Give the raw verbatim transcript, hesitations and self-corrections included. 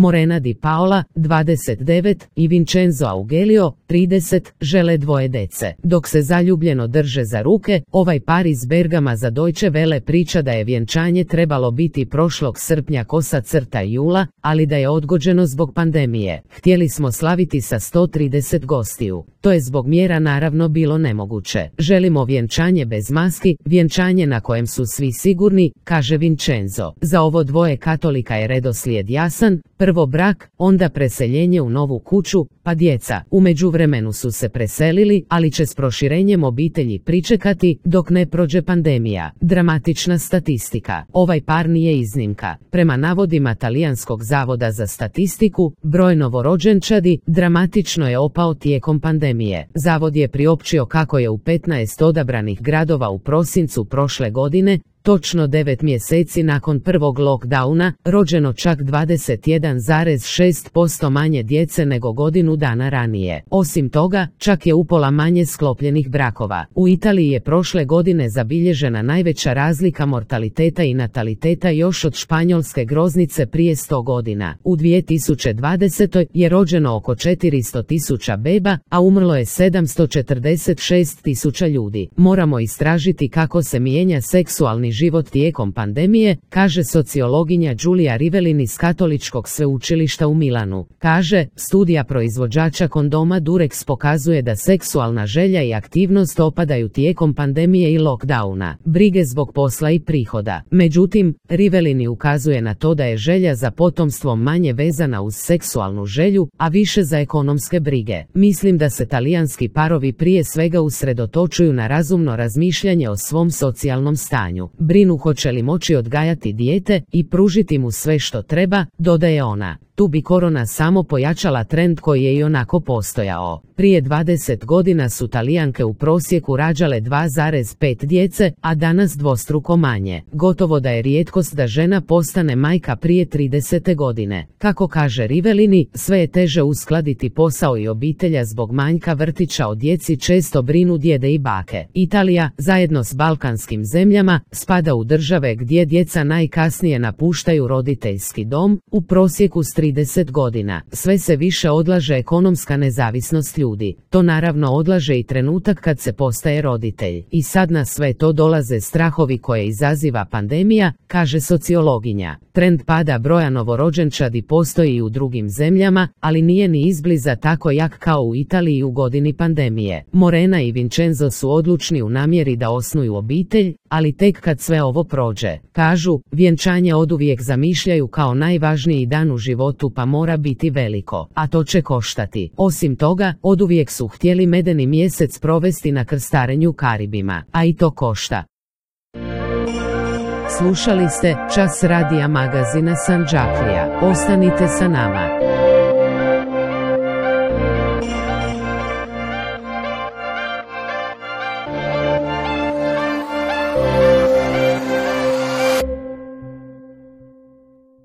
Morena Di Paola, dvadeset devet, i Vincenzo Augelio, trideset, žele dvoje dece. Dok se zaljubljeno drže za ruke, ovaj par iz Bergama za Deutsche Welle priča da je vjenčanje trebalo biti prošlog srpnja kosa crta jula, ali da je odgođeno zbog pandemije. Htjeli smo slaviti sa sto trideset gostiju. To je zbog mjera naravno bilo nemoguće. Želimo vjenčanje bez maski, vjenčanje na kojem su svi sigurni, kaže Vincenzo. Za ovo dvoje katolika je redoslijed jasan, prvo brak, onda preseljenje u novu kuću, pa djeca. U međuvremenu su se preselili, ali će s proširenjem obitelji pričekati dok ne prođe pandemija. Dramatična statistika. Ovaj par nije iznimka. Prema navodima Talijanskog zavoda za statistiku, broj novorođenčadi dramatično je opao tijekom pandemije. Zavod je priopćio kako je u petnaest odabranih gradova u prosincu prošle godine, točno devet mjeseci nakon prvog lockdowna, rođeno čak dvadeset jedan zarez šest posto manje djece nego godinu dana ranije. Osim toga, čak je upola manje sklopljenih brakova. U Italiji je prošle godine zabilježena najveća razlika mortaliteta i nataliteta još od španjolske groznice prije sto godina. U dvije tisuće dvadesetoj. je rođeno oko četiristo tisuća beba, a umrlo je sedamsto četrdeset šest tisuća ljudi. Moramo istražiti kako se mijenja seksualni život tijekom pandemije, kaže sociologinja Giulia Rivellini iz Katoličkog sveučilišta u Milanu. Kaže, studija proizvođača kondoma Durex pokazuje da seksualna želja i aktivnost opadaju tijekom pandemije i lockdowna, brige zbog posla i prihoda. Međutim, Rivellini ukazuje na to da je želja za potomstvom manje vezana uz seksualnu želju, a više za ekonomske brige. Mislim da se talijanski parovi prije svega usredotočuju na razumno razmišljanje o svom socijalnom stanju. Brinu hoće li moći odgajati dijete i pružiti mu sve što treba, dodaje ona. Tu bi korona samo pojačala trend koji je i onako postojao. Prije dvadeset godina su Talijanke u prosjeku rađale dva zarez pet djece, a danas dvostruko manje. Gotovo da je rijetkost da žena postane majka prije tridesete godine. Kako kaže Rivellini, sve je teže uskladiti posao i obitelja zbog manjka vrtića, o djeci često brinu djede i bake. Italija, zajedno s balkanskim zemljama, spada u države gdje djeca najkasnije napuštaju roditeljski dom, u prosjeku s trideset godina. Sve se više odlaže ekonomska nezavisnost ljudi. To naravno odlaže i trenutak kad se postaje roditelj. I sad na sve to dolaze strahovi koje izaziva pandemija, kaže sociologinja. Trend pada broja novorođenčadi postoji i u drugim zemljama, ali nije ni izbliza tako jak kao u Italiji u godini pandemije. Morena i Vincenzo su odlučni u namjeri da osnuju obitelj, ali tek kad sve ovo prođe. Kažu, vjenčanje oduvijek zamišljaju kao najvažniji dan u životu, pa mora biti veliko, a to će koštati. Osim toga, oduvijek su htjeli medeni mjesec provesti na krstarenju Karibima, a i to košta. Slušali ste Čas radija magazina Sanđaklija. Ostanite sa nama.